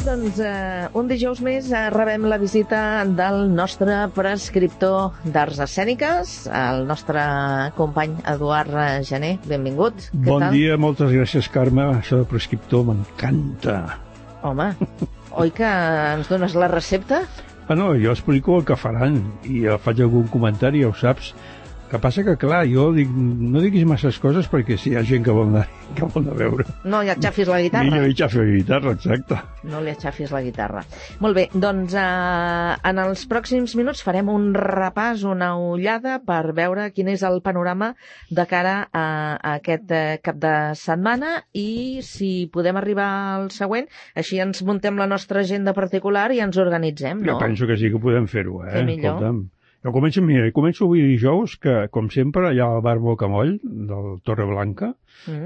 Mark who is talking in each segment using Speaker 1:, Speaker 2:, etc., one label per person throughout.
Speaker 1: doncs un dijous més rebem la visita del nostre prescriptor d'arts escèniques, el nostre company Eduard Gené. Benvingut.
Speaker 2: Bon dia, moltes gràcies, Carme. Això de prescriptor m'encanta.
Speaker 1: Home, oi que ens dones la recepta?
Speaker 2: Bueno, jo explico el que faran i faig algun comentari, ja ho saps. El que passa que, clar, jo dic, no diguis masses coses perquè si hi ha gent que vol anar a veure.
Speaker 1: No li aixafis la guitarra.
Speaker 2: No li aixafis la guitarra, exacte.
Speaker 1: No li aixafis la guitarra. Molt bé, doncs en els pròxims minuts farem un repàs, una ullada per veure quin és el panorama de cara a aquest cap de setmana i si podem arribar al següent, així ens muntem la nostra agenda particular i ens organitzem, no?
Speaker 2: Jo penso que sí que podem fer-ho,
Speaker 1: Què millor?
Speaker 2: Escolta'm. Jo començo avui dijous, que, com sempre, hi ha el bar Bocamoll, del Torreblanca,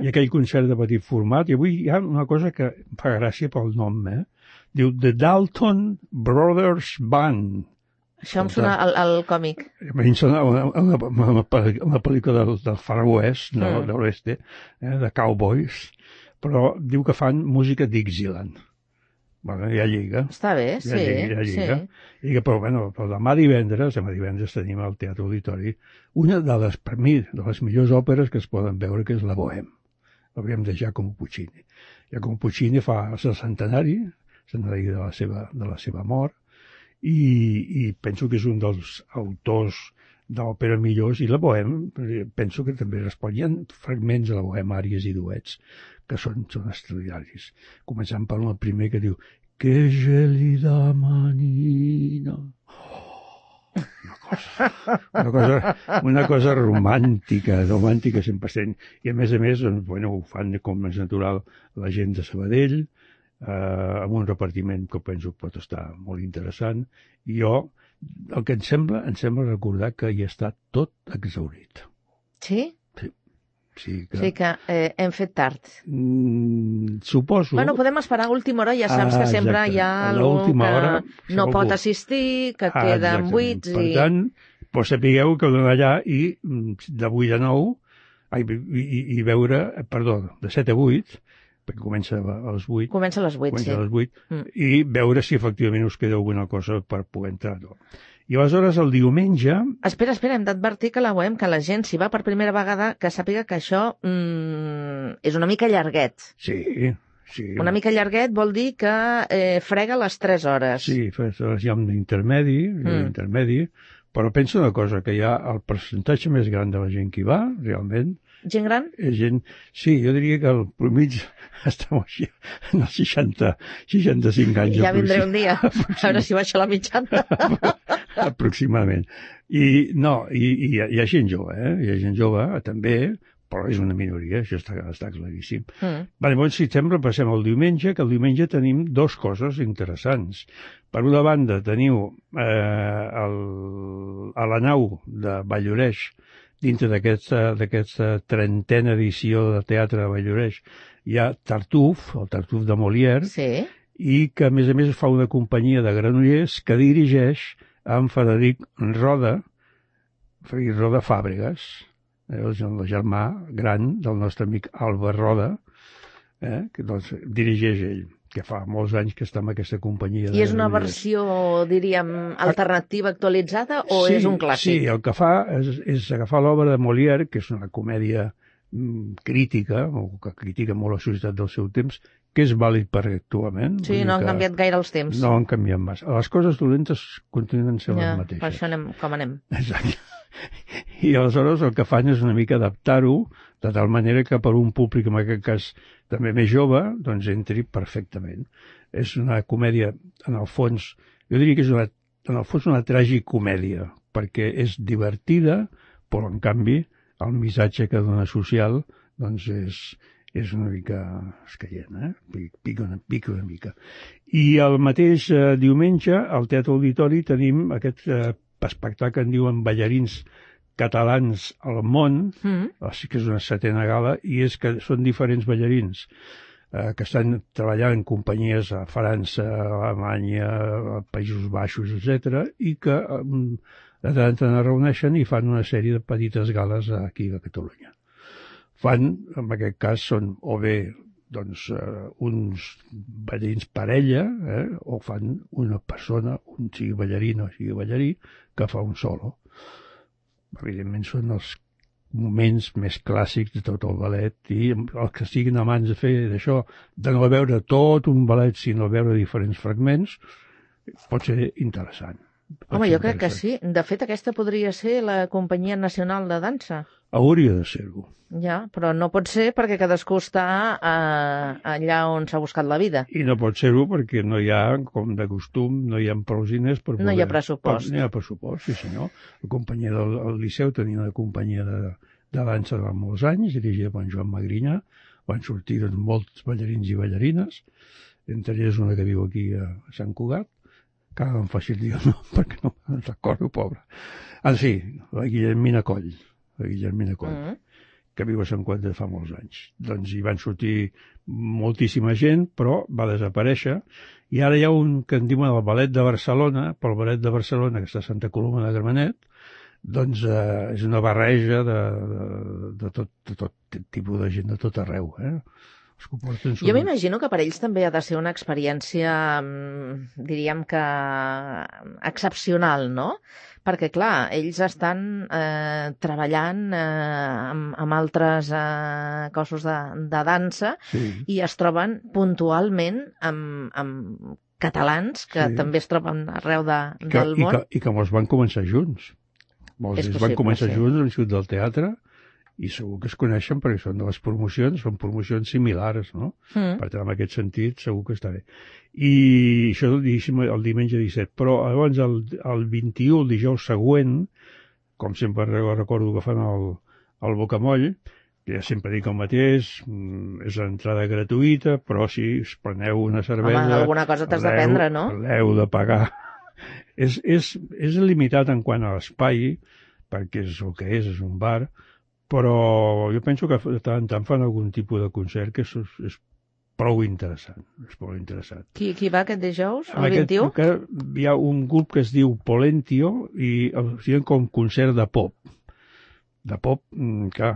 Speaker 2: i aquell concert de petit format, i avui hi ha una cosa que em fa gràcia pel nom, Diu The Dalton Brothers Band.
Speaker 1: Això em sona al còmic.
Speaker 2: A mi em sona una pel·lícula del Far West, no, de l'oeste, de cowboys, però diu que fan música Dixieland. Bueno, ja lliga.
Speaker 1: Està bé, sí.
Speaker 2: Ja lliga. Sí. Però demà divendres tenim al Teatre Auditori una de les, per mi, de les millors òperes que es poden veure, que és la Bohème. L'hauríem de Giacomo Puccini. Giacomo Puccini fa el centenari de la seva mort, i penso que és un dels autors d'òpera millors, i la Bohème penso que també responien fragments de la Bohème, àries i duets, que són extraordinaris. Començant per el primer que diu Que gelida manina. Una cosa romàntica 100%. I a més, doncs, ho fan com és natural la gent de Sabadell, amb un repartiment que penso que pot estar molt interessant. I jo, el que em sembla recordar que hi està tot exhaurit.
Speaker 1: Sí?
Speaker 2: Sí,
Speaker 1: que hem fet tard.
Speaker 2: Suposo.
Speaker 1: Bueno, podem esperar a última hora, ja saps que sempre hi ha algú que no pot assistir, que queden buits.
Speaker 2: Per tant, sapigueu que heu d'anar allà i de 8 a 9, i veure, de 7 a 8, perquè comença a les 8.
Speaker 1: Comença a les 8, sí.
Speaker 2: I veure si efectivament us queda alguna cosa per poder entrar. I aleshores el diumenge...
Speaker 1: Espera, hem d'advertir que que la gent, si va per primera vegada, que sàpiga que això és una mica llarguet.
Speaker 2: Sí.
Speaker 1: Una mica llarguet vol dir que frega les 3 hores.
Speaker 2: Sí, hi ha un intermedi, però penso una cosa, que hi ha el percentatge més gran de la gent que hi va, realment...
Speaker 1: Gent gran?
Speaker 2: Sí, jo diria que el promig està així, en els 65 anys.
Speaker 1: Ja vindré un dia, a veure si baixa la mitjana.
Speaker 2: Aproximadament. I hi ha gent jove, hi ha gent jove també, però és una minoria, això està claríssim. Llavors, si sembla, passem al diumenge, que el diumenge tenim 2 coses interessants. Per una banda, teniu a la nau de Valldoreix, dintre d'aquesta 30a edició de teatre de Valldoreix, hi ha Tartuf, el Tartuf de Molière,
Speaker 1: sí. I
Speaker 2: que, a més, fa una companyia de Granollers que dirigeix amb Frederic Roda Fàbregas, el germà gran del nostre amic Albert Roda, que dirigeix ell, que fa molts anys que està en aquesta companyia.
Speaker 1: I és una versió, diríem, alternativa, actualitzada, o és un clàssic?
Speaker 2: Sí, el que fa és agafar l'obra de Molière, que és una comèdia crítica, o que critica molt la societat del seu temps, que és vàlid per actualment.
Speaker 1: Sí, no han canviat gaire els temps.
Speaker 2: No han canviat massa. Les coses dolentes continuen sent les mateixes.
Speaker 1: Per això anem com anem.
Speaker 2: Exacte. I aleshores el que fan és una mica adaptar-ho, de tal manera que per un públic, en aquest cas també més jove, doncs entri perfectament. És una comèdia, en el fons, jo diria que és una tragicomèdia, perquè és divertida, però en canvi el missatge que dona social doncs és una mica escaient, pica una mica. I el mateix diumenge, al Teatre Auditori, tenim aquest espectacle que en diuen Ballarins catalans al món, sí que és una 7a gala, i és que són diferents ballarins que estan treballant en companyies a França, a Alemanya, a Països Baixos, etc., i que de tant en tant es reuneixen i fan una sèrie de petites gales aquí a Catalunya. Fan, en aquest cas, són o bé doncs, uns ballarins parella, o fan una persona, sigui ballarina o sigui ballarí, que fa un solo. Evidentment són els moments més clàssics de tot el ballet, i els que siguin amants de fer d'això, de no veure tot un ballet, sinó veure diferents fragments, pot ser interessant.
Speaker 1: Home, jo crec que sí. De fet, aquesta podria ser la Companyia Nacional de Dansa.
Speaker 2: Hauria de ser-ho.
Speaker 1: Ja, però no pot ser perquè cadascú està allà on s'ha buscat la vida.
Speaker 2: I no pot ser-ho perquè no hi ha, com de costum, no hi ha prou diners per poder...
Speaker 1: No hi ha pressupost.
Speaker 2: No hi ha pressupost, sí senyor. La companyia del Liceu tenia una companyia de dansa de molts anys, dirigida per Joan Magrinyà. Van sortir doncs, molts ballarins i ballarines, entre ells una que viu aquí a Sant Cugat, que ara em faci el dia, no, perquè no me'n recordo, pobra. Ah, sí, la Guillermina Coll. La Guillermina Coll. Que viu a Sant Cugat de fa molts anys. Doncs hi van sortir moltíssima gent, però va desaparèixer, i ara hi ha un que en diuen el Ballet de Barcelona, però el Ballet de Barcelona, que està a Santa Coloma de Gramenet, doncs és una barreja de tot tipus de gent de tot arreu,
Speaker 1: Jo m'imagino que per ells també ha de ser una experiència, diríem que excepcional, no? Perquè, clar, ells estan treballant amb altres cossos de dansa,
Speaker 2: sí,
Speaker 1: i es troben puntualment amb catalans que
Speaker 2: sí,
Speaker 1: també es troben arreu del món.
Speaker 2: I que molts van començar junts. Molts van començar junts a l'Institut del Teatre, i segur que es coneixen perquè són de les promocions, són promocions similars, no? Per tant, en aquest sentit, segur que està bé. I això el diumenge 17. Però llavors, el 21, el dijous següent, com sempre recordo que fan el Bocamoll, que ja sempre dic el mateix, és l'entrada gratuïta, però si us preneu una cervesa...
Speaker 1: Home, alguna cosa t'has de prendre, no?
Speaker 2: L'heu de pagar. És limitat en quant a l'espai, perquè és el que és un bar, però jo penso que de tant en tant fan algun tipus de concert que és prou interessant. És prou interessant.
Speaker 1: Qui va aquest dijous, el 21?
Speaker 2: Hi ha un grup que es diu Polentio i diuen com concert de pop. De pop, clar,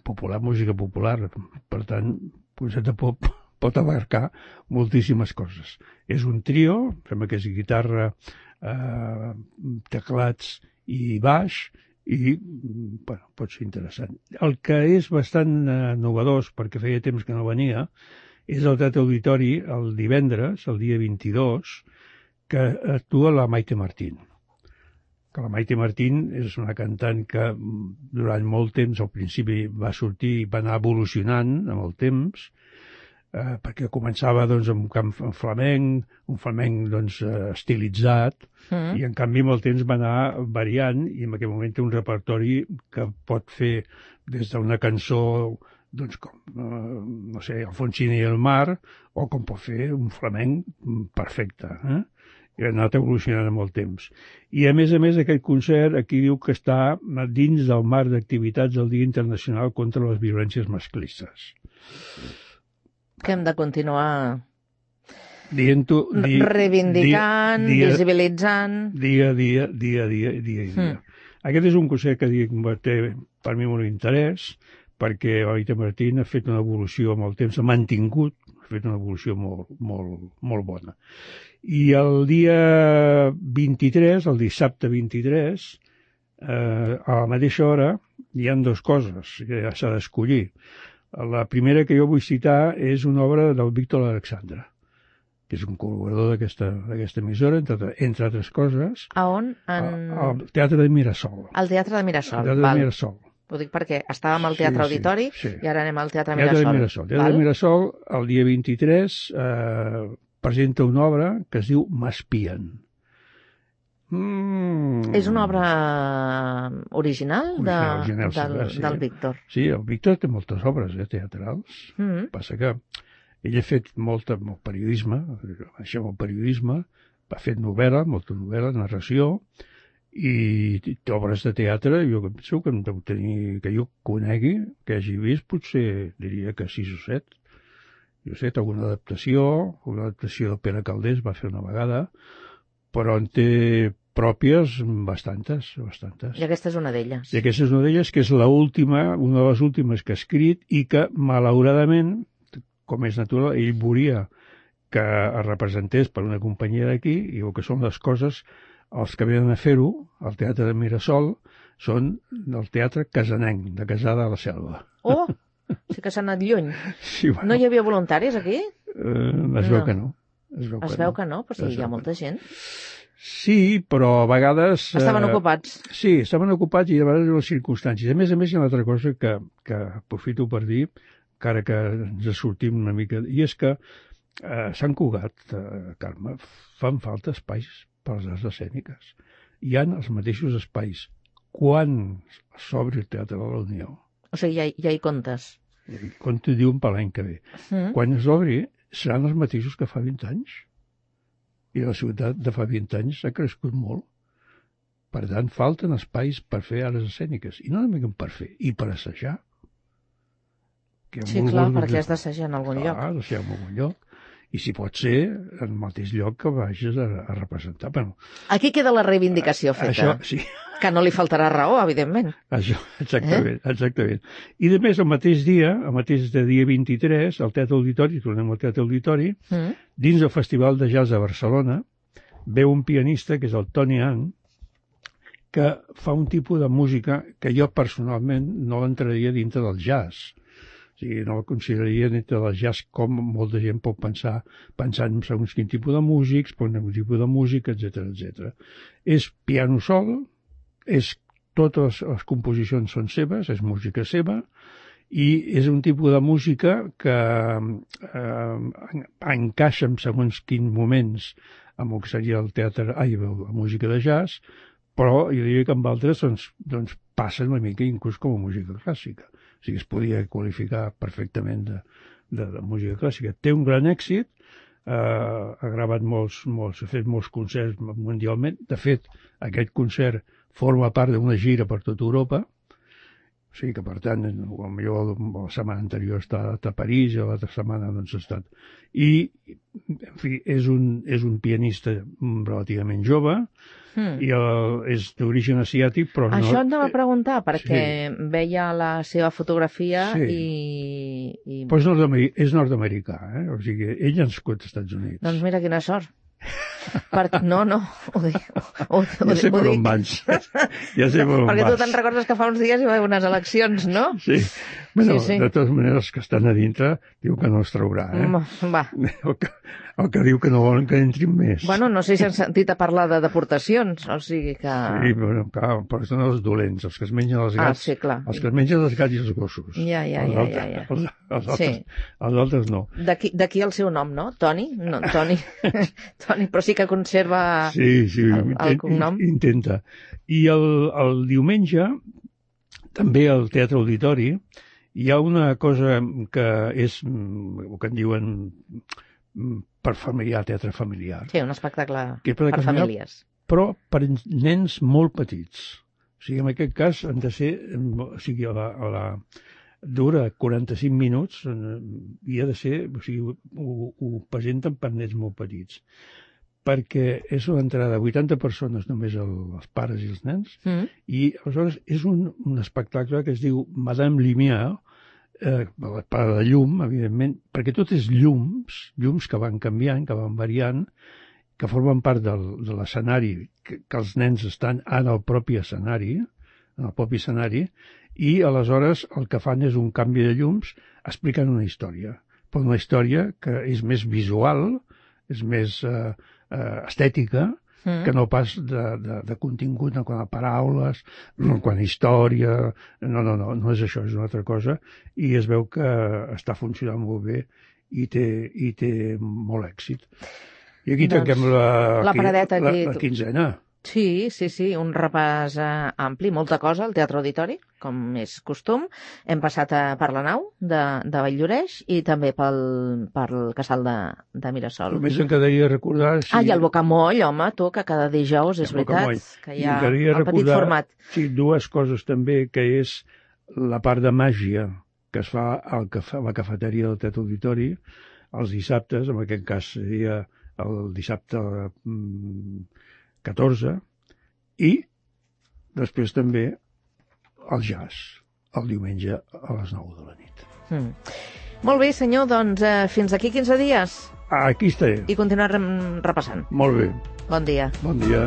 Speaker 2: popular, música popular. Per tant, concert de pop pot abarcar moltíssimes coses. És un trio, sembla que és guitarra, teclats i baix, i bueno, pot ser interessant. El que és bastant novedós, perquè feia temps que no venia, és el Teatre Auditori el divendres, el dia 22, que actua la Maite Martín. Que la Maite Martín és una cantant que durant molt temps, al principi va sortir i va anar evolucionant amb el temps, perquè començava doncs, amb un flamenc doncs, estilitzat, i en canvi amb el temps va anar variant, i en aquell moment té un repertori que pot fer des d'una cançó doncs, com, no sé, Alfonsina i el mar, o com pot fer un flamenc perfecte, i ha anat evolucionant amb el temps. I a més, aquest concert aquí diu que està dins del marc d'activitats del Dia Internacional contra les Violències Masclistes.
Speaker 1: Que hem de continuar
Speaker 2: dient-ho,
Speaker 1: reivindicant, visibilitzant...
Speaker 2: Dia a dia. Aquest és un concert que té per mi molt interès, perquè la Maite Martín ha fet una evolució amb el temps, ha mantingut, ha fet una evolució molt bona. I el dia 23, el dissabte 23, a la mateixa hora, hi ha dues coses que ja s'ha d'escollir. La primera que jo vull citar és una obra del Víctor Alexandre, que és un col·laborador d'aquesta emissora, entre altres coses.
Speaker 1: A on?
Speaker 2: Al Teatre de Mirasol.
Speaker 1: Al Teatre de Mirasol,
Speaker 2: Teatre de Mirasol.
Speaker 1: Ho dic perquè estàvem al Teatre Auditori i ara anem al Teatre
Speaker 2: Mirasol.
Speaker 1: Mirasol.
Speaker 2: Teatre de Mirasol, el dia 23, presenta una obra que es diu M'espien.
Speaker 1: És una obra original del Víctor.
Speaker 2: Sí, el Víctor té moltes obres teatrals. Passa que ell ha fet molt periodisme, ha fet novel·la, molta novel·la, narració, i obres de teatre. Jo penso que deu tenir, que jo conegui, que hagi vist, potser diria que 6 o 7. Jo sé, alguna adaptació de Pere Calders va fer una vegada, però en té pròpies bastantes.
Speaker 1: I aquesta és una d'elles.
Speaker 2: I aquesta és una d'elles, que és una de les últimes que ha escrit i que, malauradament, com és natural, ell volia que es representés per una companyia d'aquí, i el que són les coses, els que venen a fer-ho, al Teatre de Mirasol, són del Teatre Casanenc, de Casada de la Selva.
Speaker 1: Oh, sí que s'ha anat lluny.
Speaker 2: Sí, bueno,
Speaker 1: No hi havia voluntaris aquí?
Speaker 2: es veu que no.
Speaker 1: Es veu que no, però sí, hi ha molta gent.
Speaker 2: Sí, però a vegades...
Speaker 1: Estaven ocupats.
Speaker 2: Sí, estaven ocupats i a vegades les circumstàncies. A més, hi ha una altra cosa que aprofito per dir, encara que ens sortim una mica, i és que Sant Cugat, Carme, fan falta espais per les arts escèniques. Hi ha els mateixos espais. Quan s'obri el Teatre de la Unió?
Speaker 1: O sigui, ja hi comptes.
Speaker 2: Com t'ho diuen per l'any que ve. Quan es obri, seran els mateixos que fa 20 anys. I la ciutat de fa 20 anys s'ha crescut molt. Per tant, falten espais per fer arts escèniques. I no només per fer, i per assajar.
Speaker 1: Sí, clar, perquè has d'assajar en algun lloc.
Speaker 2: Clar, assajar en algun lloc. I si pot ser, en el mateix lloc que vagis a representar. Bueno,
Speaker 1: aquí queda la reivindicació feta.
Speaker 2: Això, sí.
Speaker 1: Que no li faltarà raó, evidentment.
Speaker 2: Això, exactament, exactament. I a més, el mateix dia 23, al Teatre Auditori, tornem al Teatre Auditori, dins del Festival de Jazz de Barcelona, veu un pianista, que és el Tony Ang, que fa un tipus de música que jo personalment no l'entraria dintre del jazz. O sigui, no la consideraria dintre del jazz com molta gent pot pensar, pensant en segons quin tipus de músics, quin tipus de música, etc. És piano sol, totes les composicions són seves, és música seva, i és un tipus de música que encaixa en segons quins moments amb el que seria el teatre, la música de jazz, però jo diria que amb altres doncs passa una mica inclús com a música clàssica. O sigui, es podia qualificar perfectament de música clàssica. Té un gran èxit, ha gravat ha fet molts concerts mundialment. De fet, aquest concert forma part d'una gira per tota Europa. O sigui que, per tant, potser la setmana anterior ha estat a París i l'altra setmana doncs, ha estat. I, en fi, és un pianista relativament jove, i és d'origen asiàtic, però no...
Speaker 1: Això em va preguntar, perquè veia la seva fotografia i...
Speaker 2: Però és nord-americà, O sigui, ell ha nascut als Estats Units.
Speaker 1: Doncs mira quina sort. No, ho dic.
Speaker 2: Ja sé per on vas.
Speaker 1: Perquè tu te'n recordes que fa uns dies hi va haver unes eleccions, no?
Speaker 2: Sí. Bueno, sí. De totes maneres, que estan a dintre, diu que no es traurà,
Speaker 1: Va.
Speaker 2: El que diu que no volen que entrin més.
Speaker 1: Bueno, no sé si han sentit a parlar de deportacions, o sigui que...
Speaker 2: Sí, però són els dolents, els que es mengen els gats.
Speaker 1: Sí, clar.
Speaker 2: Els que es mengen els gats i els gossos.
Speaker 1: Ja.
Speaker 2: Els altres no.
Speaker 1: D'aquí el seu nom, no? Toni? No, Toni, però sí que conserva el cognom.
Speaker 2: Intenta. I el diumenge, també al Teatre Auditori, hi ha una cosa que és el que en diuen per familiar, teatre familiar.
Speaker 1: Sí, un espectacle per famílies.
Speaker 2: Però per nens molt petits. O sigui, en aquest cas han de ser... O sigui, dura 45 minuts i ha de ser... O sigui, ho presenten per nens molt petits. Perquè és una entrada de 80 persones, només els pares i els nens, i aleshores és un espectacle que es diu Madame Lumière, per la llum, evidentment, perquè tot és llums que van canviant, que van variant, que formen part de l'escenari, que els nens estan en el propi escenari, i aleshores el que fan és un canvi de llums explicant una història, però una història que és més visual, és més estètica, que no pas de contingut, no quan a paraules, no quan a història... No és això, és una altra cosa, i es veu que està funcionant molt bé i té molt èxit. I aquí tanquem la quinzena.
Speaker 1: Sí, un repàs ampli, molta cosa al Teatre Auditori, com és costum. Hem passat per la nau de Vall-lloreix i també pel casal de Mirasol.
Speaker 2: Només em quedaria recordar...
Speaker 1: I el Bocamoll, home, tu, que cada dijous, és veritat, que hi ha el petit format.
Speaker 2: Sí, dues coses també, que és la part de màgia que es fa a la cafeteria del Teatre Auditori els dissabtes, en aquest cas seria el dissabte 14, i després també el jazz, el diumenge a les 9 de la nit.
Speaker 1: Molt bé, senyor, doncs fins aquí 15 dies.
Speaker 2: Aquí estaré.
Speaker 1: I continuar repassant.
Speaker 2: Molt bé.
Speaker 1: Bon dia.
Speaker 2: Bon dia.